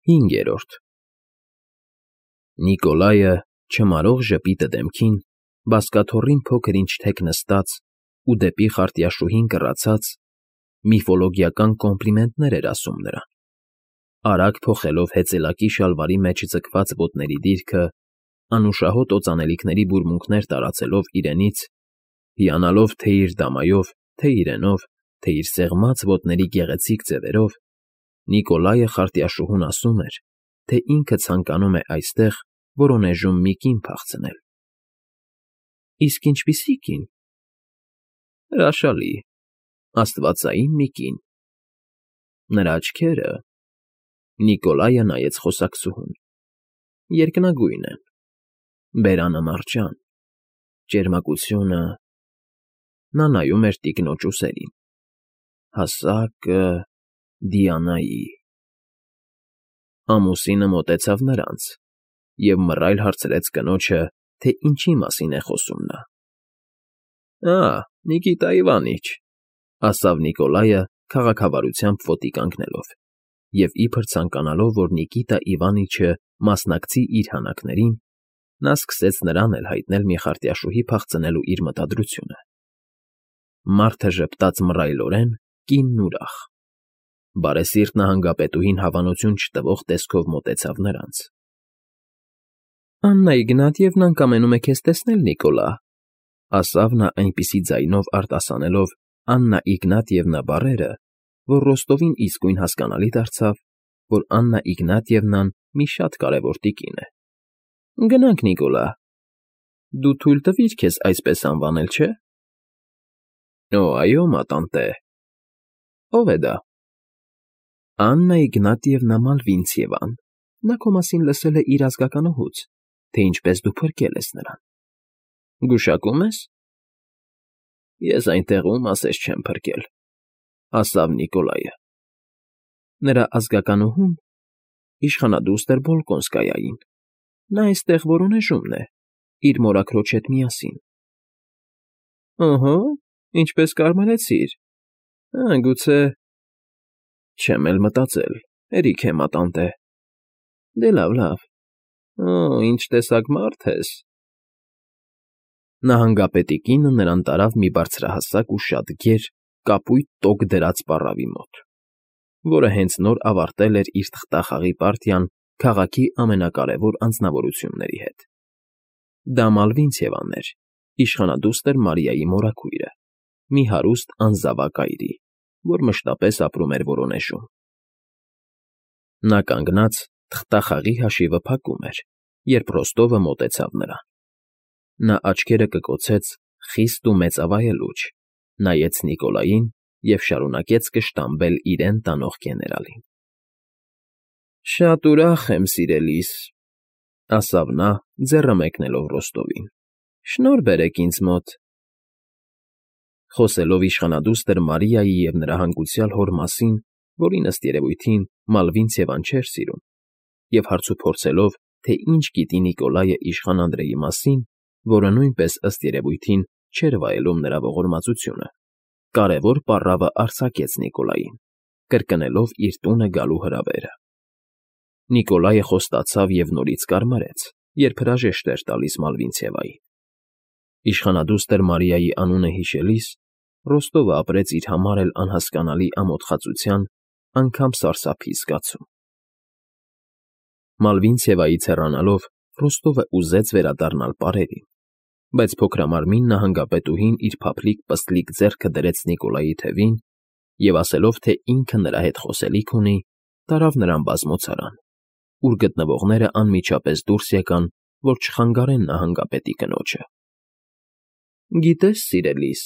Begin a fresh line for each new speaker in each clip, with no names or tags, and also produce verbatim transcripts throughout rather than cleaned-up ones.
Հինգերորդ Նիկոլայը, չմարող ժպիտը դեմքին, բազկաթոռին փոքր֊ինչ թեք նստած ու դեպի խարտյաշուհին կռացած, միֆոլոգիական կոմպլիմենտներ էր ասում նրան, արագ փոխելով հեծելակի շալվարի մեջ ձգված ոտների դիրքը, անուշահոտ օծանելիքների բուրմունքներ տարածելով իրենից, հիանալով թե՛ իր դամայով, թե՛ իրենով, թե՛ իր սեղմած ոտների գեղեցիկ ձևերով, Նիկոլայը խարտյաշուհուն ասում էր, թե ինքը ցանկանում է այստեղ Վորոնեժում մի կին փախցնել։ ֊ Իսկ ինչպիսի՞ կին։ ֊ Հրաշալի, աստվածային մի կին։ Նրա աչքերը… Նիկոլայը նայեց խոսակցուհուն… երկնագույն են, բերանը մարջան, ճերմակությունը… Նա նայում էր տիկնոջ ուսերին… հասակը… Դիանայի… Ամուսինը մոտեցավ նրանց և մռայլ հարցրեց կնոջը, թե ինչի մասին է խոսում նա։ ֊ Ա՜, Նիկիտա Իվանիչ,֊ ասավ Նիկոլայը քաղաքավարությամբ ոտի կանգնելով, և իբր ցանկանալով, որ Նիկիտա Իվանիչը մասնակցի իր հանակներին, նա սկսեց նրան էլ հայտնել մի խարտյաշուհի փախցնելու իր մտադրությունը։ Մարդը ժպտաց մռայլորեն, կինն ուրախ… Բարեսիրտ նահանգապետուհին հավանություն չտվող տեսքով մոտեցավ նրանց։ ֊ Աննա Իգնատիևնան կամենում է քեզ տեսնել, Նիկոլա,֊ ասավ նա այնպիսի ձայնով արտասանելով Աննա Իգնատիևնա բառերը, որ Ռոստովին իսկույն հասկանալի դարձավ, որ Աննա Իգնատիևնան մի շատ կարևոր տիկին է։ ֊ Գնանք, Նիկոլա… Դու թույլ տվիր քեզ այսպես անվանել, չէ՞։ ֊ Օ, այո, մատանտե… Ո՞վ է դա։ ֊ Աննա Իգնատիևնա Մալվինցևան… Նա քո մասին լսել է իր ազգականուհուց, թե ինչպես դու փրկել ես նրան։ ֊ Գուշակո՞ւմ ես։ ֊ Ես այնտեղ ում ասես չեմ փրկել,֊ ասավ Նիկոլայը։ Նրա ազգականուհուն իշխանադուստր Բոլկոնսկայային… Նա այստեղ Վորոնեժումն է, իր մորաքրոջ հետ միասին։ ֊ Օհո, ինչպես կարմարեցիր… Ա, գուցե… Չեմ էլ մտածել, հերիք է, մատանտե… Դե լավ, լավ… Օ, ինչ տեսակ մարդ ես… Նահանգապետի կինը նրան տարավ մի բարձրահասակ ու շատ գեր, կապույտ տոկ դրած պառավի մոտ, որը հենց նոր ավարտել էր իր թղթախաղի պարտիան քաղաքի ամենակարևոր անձնավորությունների հետ։ Դա Մալվինցևան էր, իշխանադուստր Մարիայի մորաքույրը, մի հարուստ անզավակ այրի, որ մշտապես ապրում էր Վորոնեժում։ Նա կանգնած թղթախաղի հաշիվը փակում էր, երբ Ռոստովը մոտեցավ նրան։ Նա աչքերը կկոցեց խիստ ու մեծավայելուչ, նայեց Նիկոլային և շարունակեց կշտամբել իրեն տանող գեներալին։ ֊ Շատ ուրախ եմ, սիրելիս,֊ ասավ նա, ձեռը մեկնելով Ռոստովին։֊ Շնորհ բերեք ինձ մոտ… Խոսելով իշխանադուստր Մարիայի և նրա հանգուցյալ հոր մասին, որին, ըստ երևույթին, Մալվինցևան չէր սիրում, և հարցուփորձելով, թե ինչ գիտի Նիկոլայը իշխան Անդրեի մասին, որը նույնպես, ըստ երևույթին, չէր վայելում նրա ողորմածությունը, կարևոր պառավը արձակեց Նիկոլային, կրկնելով իր տունը գալու հրավերը։ Նիկոլայը խոստացավ և նորից կարմարեց, երբ հրաժեշտ էր տալիս Մալվինցևային։ Իշխանադուստր Մարիայի անունը հիշելիս, Ռոստովը ապրեց իր համար էլ անհասկանալի ամոթխածության, անգամ սարսափի զգացում։ Մալվինցևայից հեռանալով Ռոստովը ուզեց վերադառնալ պարերին, բայց փոքրամարմին նահանգապետուհին իր փափլիկ պստլիկ ձեռքը դրեց Նիկոլայի թևին և, ասելով, թե ինքը նրա հետ խոսելիք ունի, տարավ նրան բազմոցարան, ուր գտնվողները անմիջապես դուրս եկան, որ չխանգարեն նահանգապետի կնոջը։ ֊ Գիտես, սիրելիս,֊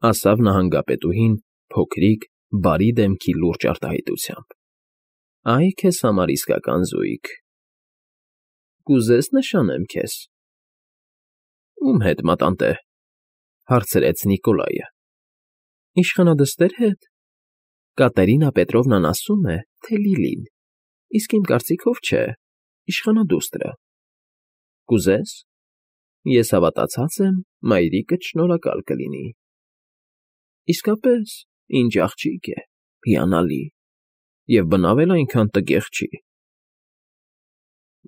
ասավ նահանգապետուհին փոքրիկ, բարի դեմքի լուրջ արտահայտությամբ,֊ ա՛յ քեզ համար իսկական զույգ… Կուզե՞ս նշանեմ քեզ։ ֊ Ո՞ւմ հետ, մատանտե,֊ հարցրեց Նիկոլայը։ ֊ Իշխանադստեր հետ… Կատերինա Պետրովնան ասում է, թե Լիլին, իսկ իմ կարծիքով չէ, իշխանադուստրը… Կուզե՞ս։ Ես հավատացած եմ, մայրիկդ շնորհակալ կլինի։ ֊ Իսկապես, ինչ աղջիկ է, հիանալի… Եվ բնավ էլ այնքան տգեղ չի,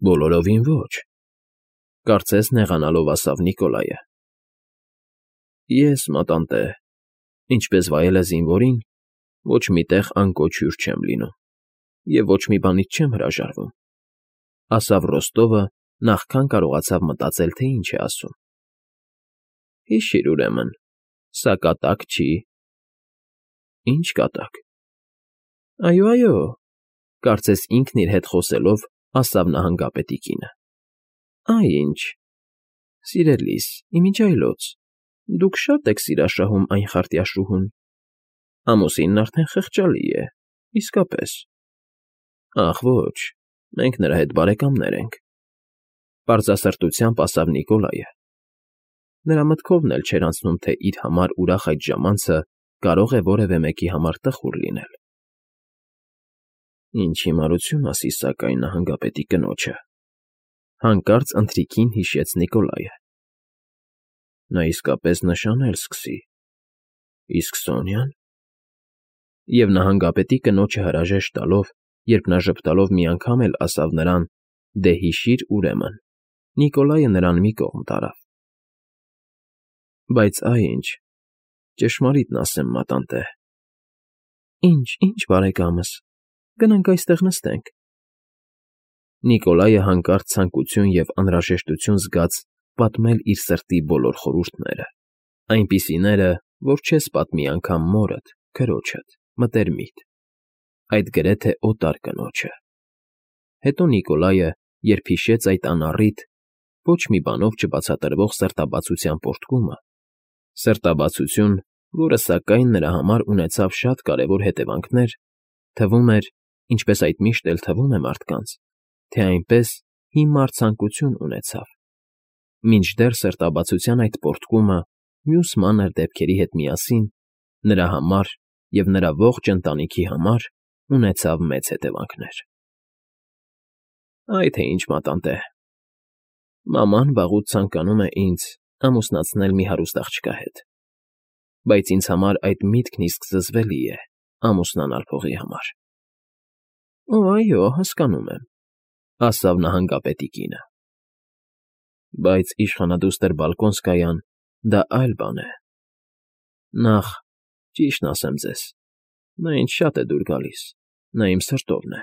Բոլորովին ոչ,֊ կարծես նեղանալով ասավ Նիկոլայը։ Ես, մատանտե, ինչպես վայել է զինվորին, ոչ մի տեղ անկոչ հյուր չեմ լինում և ոչ մի բանից չեմ հրաժարվում,֊ ասավ Ռոստովը, նախքան կարողացավ մտածել, թե ինչ է ասում։ Հիշիր, ուրեմն, սա կատակ չի։ Ի՞նչ կատակ։ Այո, այո,֊ կարծես ինքն իր հետ խոսելով ասավ նահանգապետի կինը։ Այ ինչ։ Սիրելիս, իմիջիայլոց, դուք շատ եք սիրաշահում այն խարտյաշուհուն։ Ամուսինն արդեն խղճալի է, իսկապես։ Ախ, ոչ, մենք նրա հետ բարեկամներ ենք,֊ պարզասրտությամբ ասավ Նիկոլայը։ Նրա մտքովն էլ չէր անցնում, թե իր համար ուրախ այդ ժամանցը կարող է որևէ մեկի համար տխուր լինել։ Ինչ հիմարություն ասի, սակայն, նահանգապետի կնոջը,֊ հանկարծ ընթրիքին հիշեց Նիկոլայը։ Նա իսկապես նշանել սկսի։ Իսկ Սոնյա՞ն… Եվ նահանգապետի կնոջը հրաժեշտ տալով, երբ նա ժպտալով մի անգամ էլ ասավ նրան. «Դե հիշիր, ուրեմն», Նիկոլայը նրան մի կողմ տարավ։ Բայց այ ինչ, ճշմարիտն ասեմ, մատանտե։ Ինչ, ինչ, բարեկամս, գնանք այստեղ նստենք։ Նիկոլայը հանկարծ ցանկություն և անհրաժեշտություն զգաց պատմել իր սրտի բոլոր խորհուրդները, այնպիսիները, որ չես պատմի անգամ մորդ, քրոջդ, մտերմիդ, այդ գրեթե օտար կնոջը։ Հետո Նիկոլայը, երբ հիշեց այդ անառիթ, ոչ մի բանով չբացատրվող սրտաբացության պոռթկումը, սրտաբացություն, որը, սակայն, նրա համար ունեցավ շատ կարևոր հետևանքներ, թվում էր, ինչպես այդ միշտ էլ թվում է մարդկանց, թե այնպես հիմար ցանկություն ունեցավ, մինչդեռ սրտաբացության այդ պոռթկումը մյուս մանր դեպքերի հետ միասին նրա համար և նրա ողջ ընտանիքի համար ունեցավ մեծ հետևանքներ։ Այ թե ինչ, մատանտե, մաման վաղուց ցանկանում է ինձ ամուսնացնել մի հարուստ աղջկա հետ, բայց ինձ համար այդ միտքն իսկ զզվելի է ամուսնանալ փողի համար։ Օ, այո, հասկանում եմ,֊ ասավ նահանգապետի կինը։ Բայց իշխանադուստր Բալկոնսկայան դա այլ բան է։ Նախ, ճիշտն ասեմ ձեզ, նա ինձ շատ է դուր գալիս, նա իմ սրտովն է։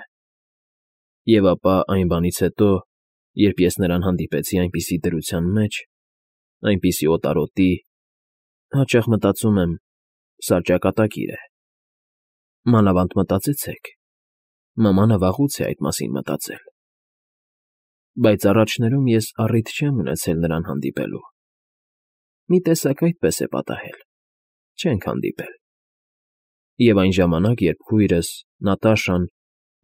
Եվ ապա այն բանից հետո, երբ ես նրան հանդիպեցի այնպիսի դրության մեջ, այնպիսի օտարոտի, հաճախ մտածում եմ, սա ճակատագիր է։ Մանավանդ մտածեցեք, մամանը վաղուց է այդ մասին մտածել։ Բայց առաջներում ես առիթ չեմ ունեցել նրան հանդիպելու։ Մի տեսակ այդպես է պատահել, չենք հանդիպել։ Եվ այն ժամանակ, երբ քույրս, Նատաշան,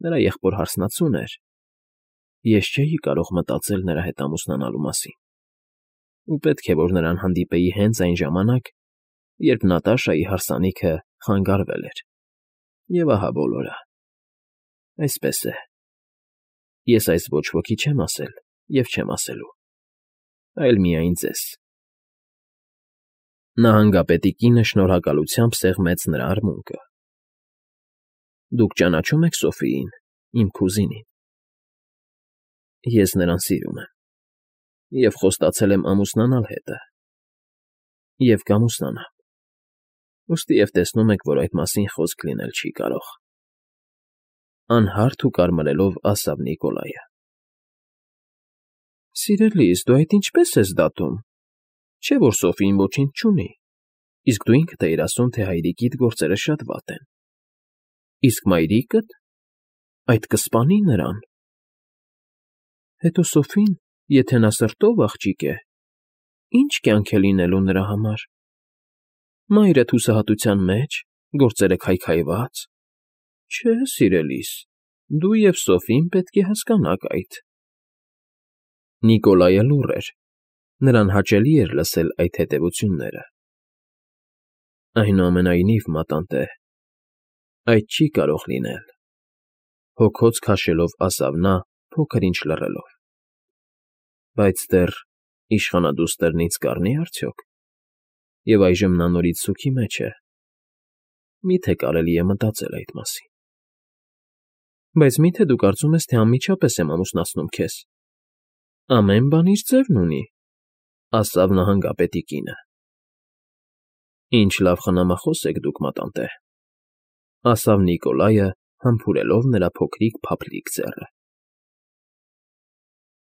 նրա եղբոր հարսնացուն էր, ես չէի կարող մտածել նրա հետ ամուսնանալու մասին։ Ու պետք է, որ նրան հանդիպեի հենց այն ժամանակ, երբ Նատաշայի հարսանիքը խանգարվել էր։ Եվ ահա բոլորը։ Այսպես է։ Ես այս ոչ ոքի չեմ ասել և չեմ ասելու, այլ միայն ձեզ։ Նահանգապետի կինը շնորհակալությամբ սեղմեց նրա արմունկը։ Դուք ճանաչո՞ւմ եք Սոֆիին, իմ կուզինին։ Ես նրան սիրում եմ և խոստացել եմ ամուսնանալ հետը։ Եվ կամուսնանամ։ Ուստիև տեսնում եք, որ այդ մասին խոսք լինել չի կարող,֊ անհարթ ու կարմրելով ասավ Նիկոլայը։ Սիրելիս, դու այդ ինչպե՞ս ես դատում, չէ՞ որ Սոֆին ոչինչ չունի, իսկ դու ինքդ էիր ասում, թե հայրիկիդ գործերը շատ վատ են։ Իսկ մայրիկը՞տ… այդ կսպանի նրան։ Հետո Սոֆին, եթե նա սրտով աղջիկ է, ի՞նչ կյանք է լինելու նրա համար։ Մայրդ հուսահատության մեջ, գործերը քայքայված… Չէ, սիրելիս, դու և Սոֆին պետք է հասկանաք այդ։ Նիկոլայը լուռ էր, նրան հաճելի էր լսել այդ հետևությունները։ Այնուամենայնիվ, մատանտե, այդ չի կարող լինել,֊ հոգոց քաշելով ասավ նա, փոքր ինչ լռելով։ Բայց դեռ իշխանադուստրն ինձ կառնի՞ արդյոք։ Եվ այժմ նա նորից սուգի մեջ է։ Մի՞թե կարելի է մտածել այդ մասին։ Բայց մի՞թե դու կարծում ես, թե անմիջապես եմ ամուսնացնում քեզ, Ամեն բան իր ձևն ունի,֊ ասաց նահանգապետի կինը։ ֊ Ինչ լավ խնամախոս եք դուք, մատանտե,֊ ասաց Նիկոլայը, համբուրելով նրա փոքրիկ փափլիկ ձեռը։